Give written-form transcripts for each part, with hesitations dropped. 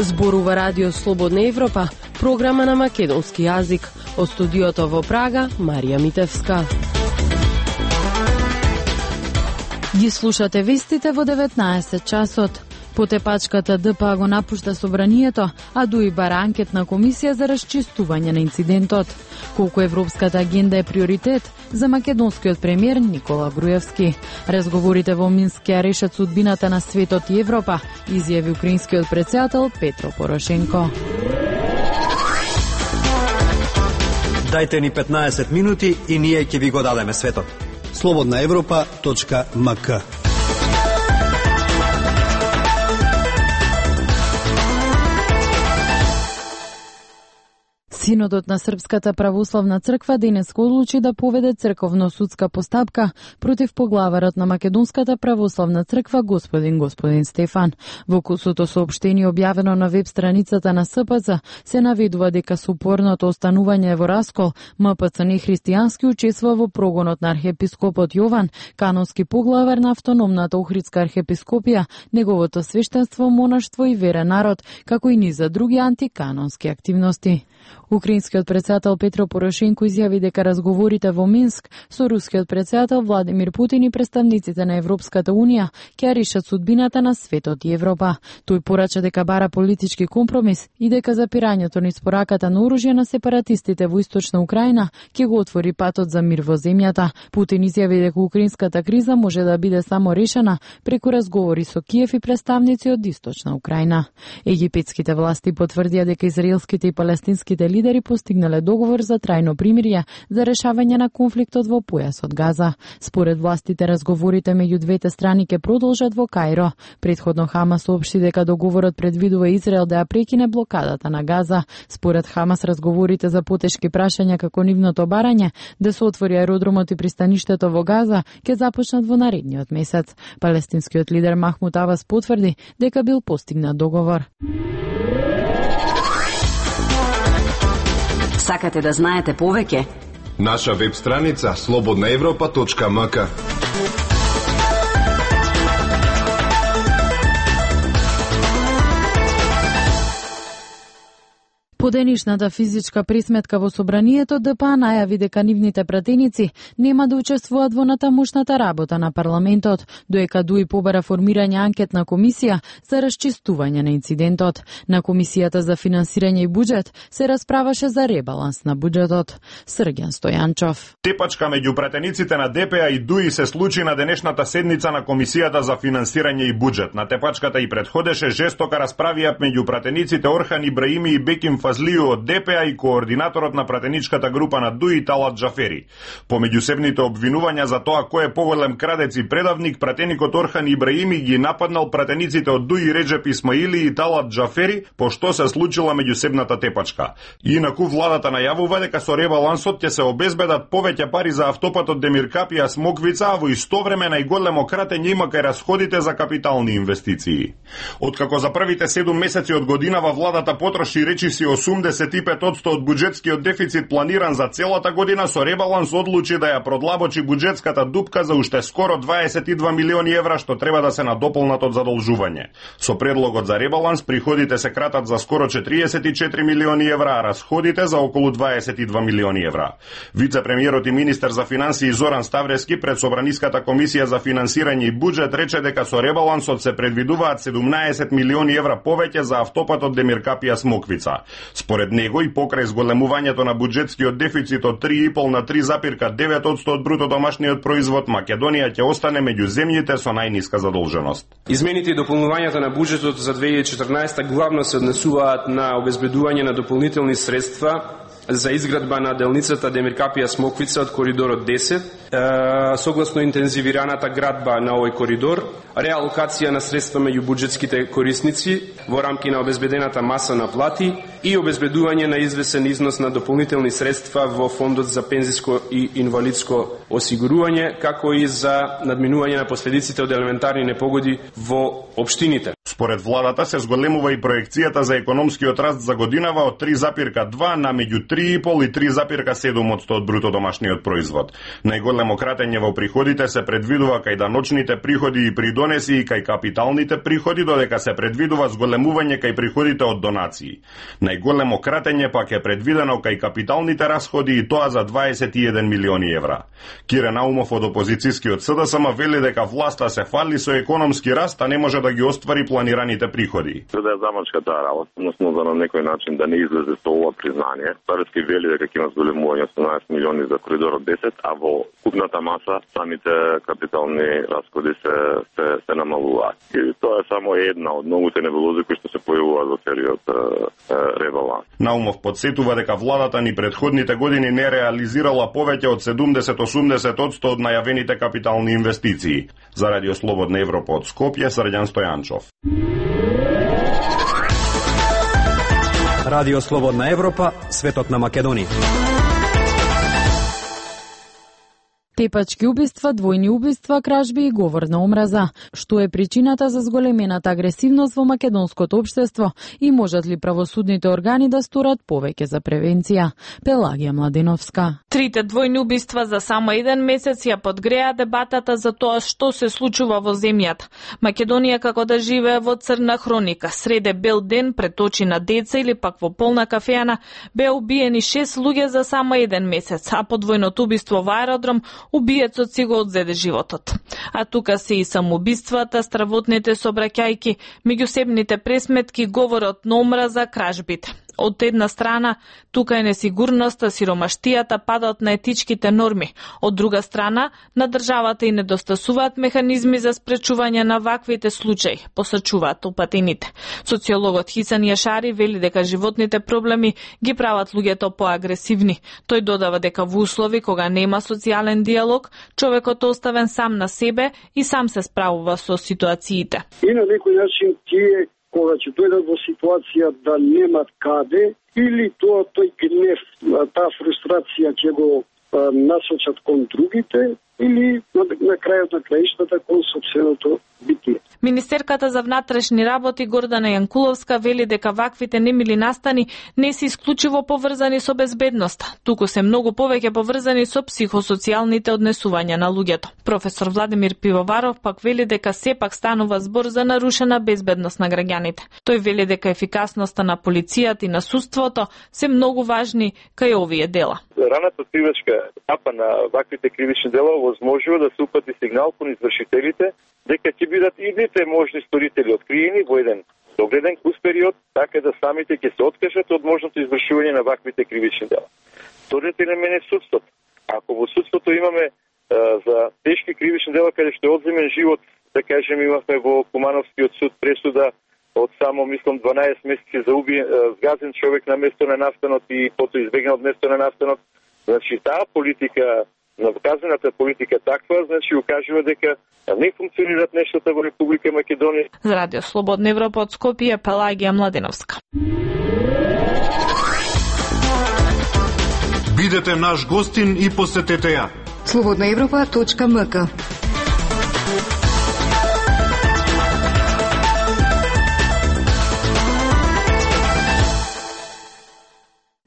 Зборува Радио Слободна Европа, програма на македонски јазик. Од студиото во Прага, Марија Митевска. Ги слушате вестите во 19 часот. Потепачката ДПА го напушта собранието, а ДУИ бара анкетна комисија за расчистување на инцидентот. Колку европската агенда е приоритет за македонскиот премиер Никола Груевски. Разговорите во Минск ќе решат судбината на светот и Европа, изјави украинскиот претседател Петро Порошенко. Дајте ни 15 минути и ние ќе ви го дадеме светот. slobodnaevropa.mk. Синодот на Српската православна црква денеска одлучи да поведе црковно-судска постапка против поглаварот на Македонската православна црква господин Стефан. Во кусото соопштение објавено на веб страницата на СПЦ се наведува дека со упорното останување во раскол, МПЦ нехристијански учествува во прогонот на архиепископот Јован, канонски поглавар на автономната Охридска архиепископија, неговото свештенство, монаштво и верен народ, како и низа други антиканонски активности. Украинскиот претседател Петро Порошенко изјави дека разговорите во Минск со рускиот претседател Владимир Путин и представниците на Европската Унија ќе решат судбината на светот и Европа. Тој порача дека бара политички компромис и дека запирањето низ пораката на оружје на сепаратистите во Источна Украина ќе го отвори патот за мир во земјата. Путин изјави дека украинската криза може да биде само решена преку разговори со Киев и представници од Источна Украина. Египетските власти потврдија дека израелските и палестинските лидери постигнале договор за трајно примирие за решавање на конфликтот во појасот Газа. Според властите, разговорите меѓу двете страни ќе продолжат во Каиро. Предходно Хамас соопшти дека договорот предвидува Израел да ја прекине блокадата на Газа. Според Хамас, разговорите за потешки прашања како нивното барање да се отвори аеродромот и пристаништето во Газа ќе започнат во наредниот месец. Палестинскиот лидер Махмуд Абас потврди дека бил постигнат договор. Сакате да знаете повеќе? Наша веб страница slobodnaevropa.mk. По денешната физичка пресметка во собранието, ДПА најави дека нивните пратеници нема да учествуваат во натамошната работа на парламентот, доека ДУИ побара формирање анкетна комисија за расчистување на инцидентот. На комисијата за финансирање и буџет се расправаше за ребаланс на буџетот. Срѓан Стојанчов. Тепачка меѓу пратениците на ДПА и ДУИ се случи на денешната седница на комисијата за финансирање и буџет. На тепачката и предходеше жестока расправија меѓу пратениците Орхан Ибраими и Беким Фазлију од ДПА и координаторот на пратеничката група на ДУИ Талат Джафери. По меѓусебните обвинувања за тоа кој е поголем крадец и предавник, пратеникот Орхан Ибраими ги нападнал пратениците од ДУИ Реджеп Исмаили и Талат Джафери по што се случила меѓусебната тепачка. Инаку владата најавува дека со ребалансот ќе се обезбедат повеќе пари за автопатот Демир Капија Смоквица, а во исто време најголемо кратење има кај расходите за капитални инвестиции. Откако за првите 7 месеци од годинава владата потроши речиси 85% од буџетскиот дефицит планиран за целата година, со ребаланс одлучи да ја продлабочи буџетската дупка за уште скоро 22 милиони евра што треба да се надополнат од задолжување. Со предлогот за ребаланс приходите се кратат за скоро 44 милиони евра, а расходите за околу 22 милиони евра. Вице-премиерот и министер за финансии Зоран Ставрески пред Собраниската комисија за финансирање и буџет рече дека со ребалансот се предвидуваат 17 милиони евра повеќе за автопатот Демир Капија Смоквица. Според него и покрај зголемувањето на буџетскиот дефицит од 3,5 на 3,9% од бруто домашниот производ, Македонија ќе остане меѓу земјите со најниска задолженост. Измените и дополнувањата на буџетот за 2014 главно се однесуваат на обезбедување на дополнителни средства за изградба на делницата Демир Капија Смоквица од коридорот 10, согласно интензивираната градба на овој коридор, реалокација на средства меѓу буџетските корисници во рамки на обезбедената маса на плати и обезбедување на извесен износ на дополнителни средства во фондот за пензиско и инвалидско осигурување, како и за надминување на последиците од елементарни непогоди во општините. Според владата се зголемува и проекцијата за економскиот раст за годинава од 3,2 на меѓу 3,5 и 3,7% од бруто домашниот производ. Најголемо кратење во приходите се предвидува кај даночните приходи и придонеси и кај капиталните приходи, додека се предвидува зголемување кај приходите од донации. Најголемо кратење пак е предвидено кај капиталните расходи и тоа за 21 милиони евра. Кире Наумов од опозицијскиот СДСМ вели дека власта се фали со економски раст, а не може да ги оствари планираните приходи. За да замачка таа работа, односно за на некој начин да не излезе со ова признание. Париски вели дека ќе има зголемување 18 милиони за коридорот 10, а во купната маса самите капитални расходи се намалуваат. И тоа е само една од многуте небулози кои што се појавуваат во целиот ребаланс. Наумов подсетува дека владата ни предходните години не реализирала повеќе од 70-80% од најавените капитални инвестиции. За Радио Слободна Европа од Скопје, Срđan Стојанчов. Радио Слободна Европа, светот на Македонија. Тепачки убиства, двојни убиства, кражби и говор на омраза. Што е причината за зголемената агресивност во македонското општество и можат ли правосудните органи да сторат повеќе за превенција? Пелагија Младеновска. Трите двојни убиства за само еден месец ја подгреа дебатата за тоа што се случува во земјата. Македонија како да живее во црна хроника. Среде бел ден пред очи на деца или пак во полна кафеана беа убиени 6 луѓе за само еден месец, а по двојното убиство во аеродром убиецот си го одзеде животот. А тука се и самоубиствата, стравотните сообраќајки, меѓусебните пресметки, говорот на омраза, кражбите. Од една страна, тука е несигурноста, сиромаштијата, падот на етичките норми. Од друга страна, на државата и недостасуваат механизми за спречување на ваквите случаи, посачуваат упатените. Социологот Хисан Јашари вели дека животните проблеми ги прават луѓето поагресивни. Тој додава дека во услови кога нема социјален диалог, човекот оставен сам на себе и сам се справува со ситуациите. И на некој начин тие кога ќе дојдат во ситуација да немат каде, или тој гнев, таа фрустрација ќе го насочат кон другите, или на крајот на краиштата кон сопственото битие. Министерката за внатрешни работи Гордана Јанкуловска вели дека ваквите немили настани не се исклучиво поврзани со безбедноста, туку се многу повеќе поврзани со психосоцијалните однесувања на луѓето. Професор Владимир Пивоваров пак вели дека сепак станува збор за нарушена безбедност на граѓаните. Тој вели дека ефикасноста на полицијата и на судството се многу важни кај овие дела. Раната откривачка етапа на ваквите кривични дела возможува да се упати сигнал кон извршителите дека ќе бидат идните можни сторители откриени во еден догледен кус период, така да самите ќе се откажат од можното извршување на ваквите кривични дела. Вториот елемент е судството. Ако во судството имаме за тешки кривични дела каде што е одземен живот, да кажем имавме во Кумановскиот суд пресуда од само, мислам, 12 месеци за згазен човек на место на настанот и потоа избегнал од место на настанот. Значи, таа политика, наказаната политика таква, значи, укажува дека не функционираат нештата во Република Македонија. За Радио Слободна Европа од Скопје, Пелагија Младеновска. Бидете наш гостин и посетете ја. slobodnaevropa.mk.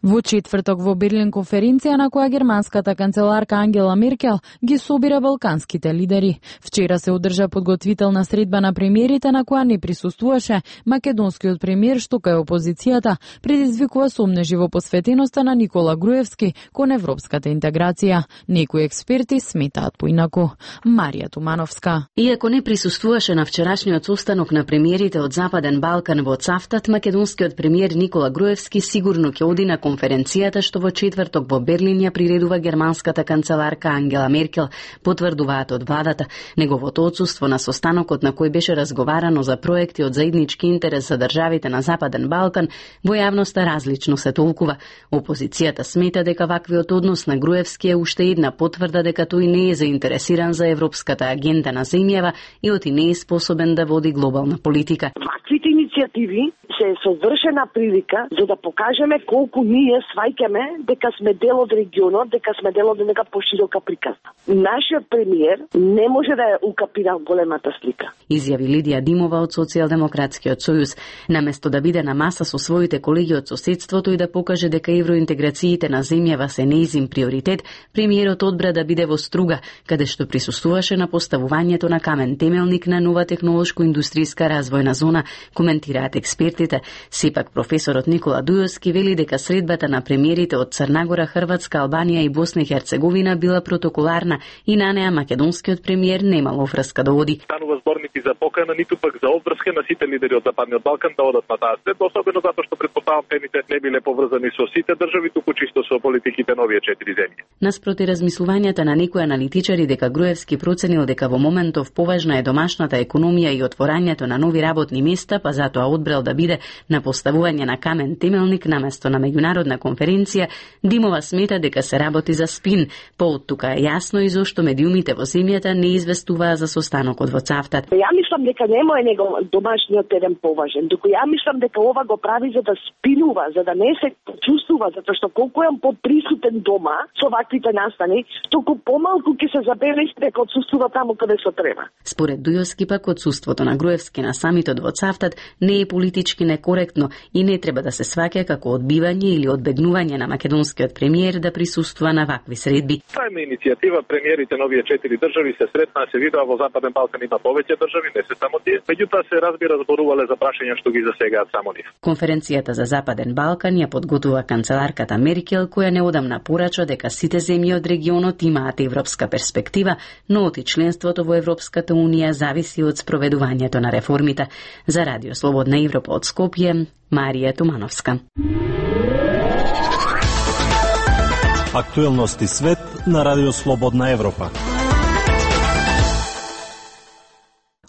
Во четврток во Берлин конференција на која германската канцеларка Ангела Меркел ги собира балканските лидери. Вчера се одржа подготвителна средба на премиерите на која не присуствуваше македонскиот премиер, што кај опозицијата предизвикува сомнежи во посветеноста на Никола Груевски кон европската интеграција. Некои експерти сметаат поинаку. Марија Тумановска. Иако не присуствуваше на вчерашниот состанок на премиерите од Западен Балкан во Цавтат, македонскиот премиер Никола Груевски сигурно ќе оди на конференцијата што во четврток во Берлин ја приредува германската канцеларка Ангела Меркел, потврдуваат од владата. Неговото отсуство на состанокот на кој беше разговарано за проекти од заеднички интерес за државите на Западен Балкан, во јавноста различно се толкува. Опозицијата смета дека ваквиот однос на Груевски е уште една потврда дека тој не е заинтересиран за европската агенда на земјава и оти не е способен да води глобална политика. Ваквите иницијативи се совршена прилика за да покажеме колку ние сваќаме дека сме дел од регионот, дека сме дел од нека поширока приказна. Нашиот премиер не може да ја укапира големата слика. Изјави Лидија Димова од Социјалдемократскиот сојуз. Наместо да биде на маса со своите колеги од соседството и да покаже дека евроинтеграциите на земјава се неизин приоритет, премиерот одбра да биде во Струга, каде што присуствуваше на поставувањето на камен темелник на нова технолошко-индустријска развојна зона, коментираат експертите. Сепак професорот Никола Дујовски вели дека средбата на премиерите од Црнагора, Хрватска, Албанија и Босна и Херцеговина била протоколарна и на неа македонскиот премиер немало врска да оди. Станува збор нити за покана, ниту пак за обврска на сите лидери од Западниот Балкан да одат на таа средба, особено затоа што претпоставам темите не биле поврзани со сите држави, туку чисто со политиките на овие 4 земји. Наспроти размислувањата на некои аналитичари дека Груевски проценил дека во моментов поважна е домашната економија и отворањето на нови работни места, па затоа одбрал да биде на поставување на камен темелник наместо на меѓународна конференција, Димова смета дека се работи за спин. По тука е јасно и зошто медиумите во земјата не известуваа за состанокот во Цавтат. Ја мислам дека нема е него домашниот терен поважен, доку ја мислам дека ова го прави за да спинува, за да не се чувствува, затоа што колку е поприсутен дома со ваквите настани, толку помалку ќе се забележи дека отсуствува таму каде се треба. Според Дујовски пак отсуството на Груевски на самитот во Цавтат не е политички некоректно и не треба да се сваќа како одбивање или одбегнување на македонскиот премиер да присуствува на вакви средби. Тоа е иницијатива, премиерите на овие 4 држави се сретнаа, се видоа во Западен Балкан има повеќе држави, не се само тие, меѓутоа се разбира зборувале за прашања што ги засегаат само нив. Конференцијата за Западен Балкан ја подготвува канцеларката Меркел, која неодамна порача дека сите земји од регионот имаат европска перспектива, но оти членството во Европската унија зависи од спроведувањето на реформите. За Радио Слободна Европа од Скопје, Марија Тумановска. Актуелности свет на Радио Слободна Европа.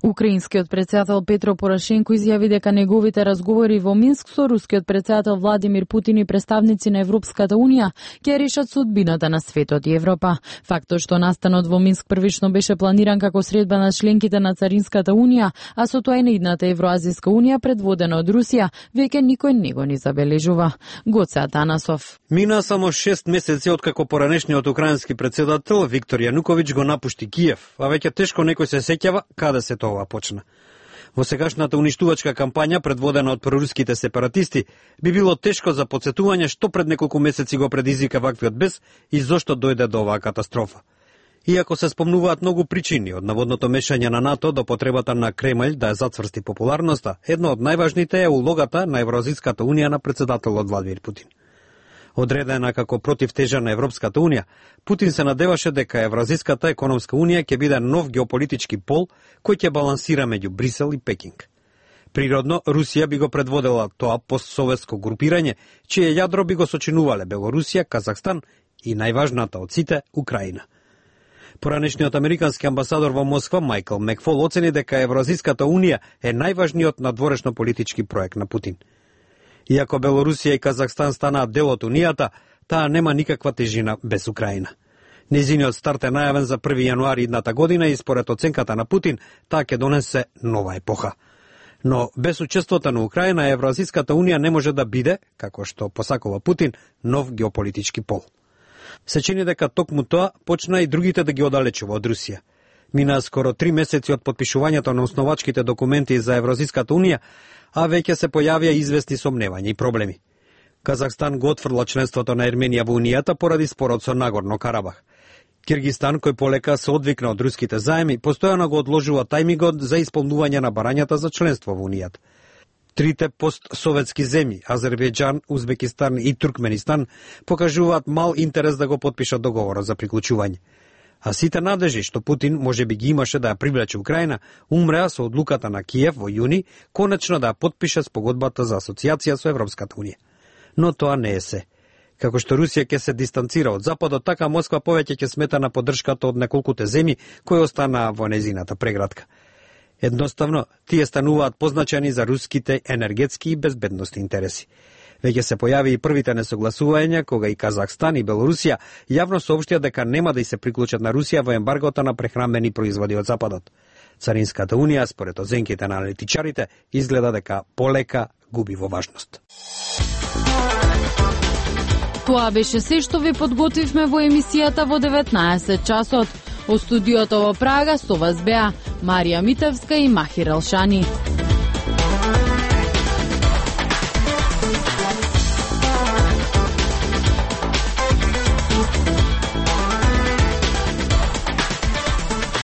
Украинскиот председател Петро Порошенко изјави дека неговите разговори во Минск со рускиот председател Владимир Путин и представници на Европската унија ќе решат судбината на светот и Европа. Фактот што настанот во Минск првично беше планиран како средба на членките на Царинската унија, а со тоа и на идната Евроазијска унија предводена од Русија, веќе никој не го ни забележува. Гоце Атанасов. Мина само 6 месеци откако поранешниот украински председател Виктор Јануковиќ го напушти Киев, а веќе тешко некој се сеќава каде се тоа почна. Во сегашната уништувачка кампања, предводена од проруските сепаратисти, би било тешко за потсетување што пред неколку месеци го предизвика ваквиот бес и зошто дојде до оваа катастрофа. Иако се спомнуваат многу причини, од наводното мешање на НАТО до потребата на Кремљ да ја зацврсти популарноста, една од најважните е улогата на Евроазијската унија на председателот Владимир Путин. Одредена како противтежа на Европската унија, Путин се надеваше дека Евразиската економска унија ќе биде нов геополитички пол кој ќе балансира меѓу Брисел и Пекинг. Природно, Русија би го предводела тоа постсоветско групирање, чие јадро би го сочинувале Белорусија, Казахстан и најважната од сите, Украина. Поранешниот американски амбасадор во Москва Майкл Мекфол оцени дека Евразиската унија е најважниот надворешно политички проект на Путин. Иако Белорусија и Казахстан станаат дел од Унијата, таа нема никаква тежина без Украина. Незиниот старт е најавен за 1 јануари идната година и според оценката на Путин, таа ќе донесе нова епоха. Но без учеството на Украина, Евразиската унија не може да биде, како што посакува Путин, нов геополитички пол. Се чини дека токму тоа почна и другите да ги оддалечува од Русија. Мина скоро 3 месеци од подпишувањето на основачките документи за Евразиската унија, а веќе се појавија известни сомневања и проблеми. Казахстан го отфрла членството на Ерменија во Унијата поради спорот со Нагорно Карабах. Киргистан, кој полека се одвикна од руските заеми, постојано го одложува тајмигот за исполнување на барањата за членство во Унијата. Трите постсоветски земји, Азербејџан, Узбекистан и Туркменистан, покажуваат мал интерес да го потпишат договорот за приклучување. А сите надежи што Путин може би ги имаше да ја привлече Украина, умреа со одлуката на Киев во јуни, конечно да ја потпише спогодбата за асоциација со Европската унија. Но тоа не е се. Како што Русија ќе се дистанцира од Западот, така Москва повеќе ќе смета на поддршката од неколкуте земји кои останаа во незината преградка. Едноставно, тие стануваат позначени за руските енергетски и безбедностни интереси. Веќе се појави и првите несогласувања кога и Казахстан и Белорусија јавно соопштија дека нема да и се приклучат на Русија во ембаргото на прехранбени производи од Западот. Царинската унија, според оценките на аналитичарите, изгледа дека полека губи во важност. Тоа беше се што ви подготвивме во емисијата во 19 часот. Од студиото во Прага со вас беа Марија Митевска и Махир Алшани.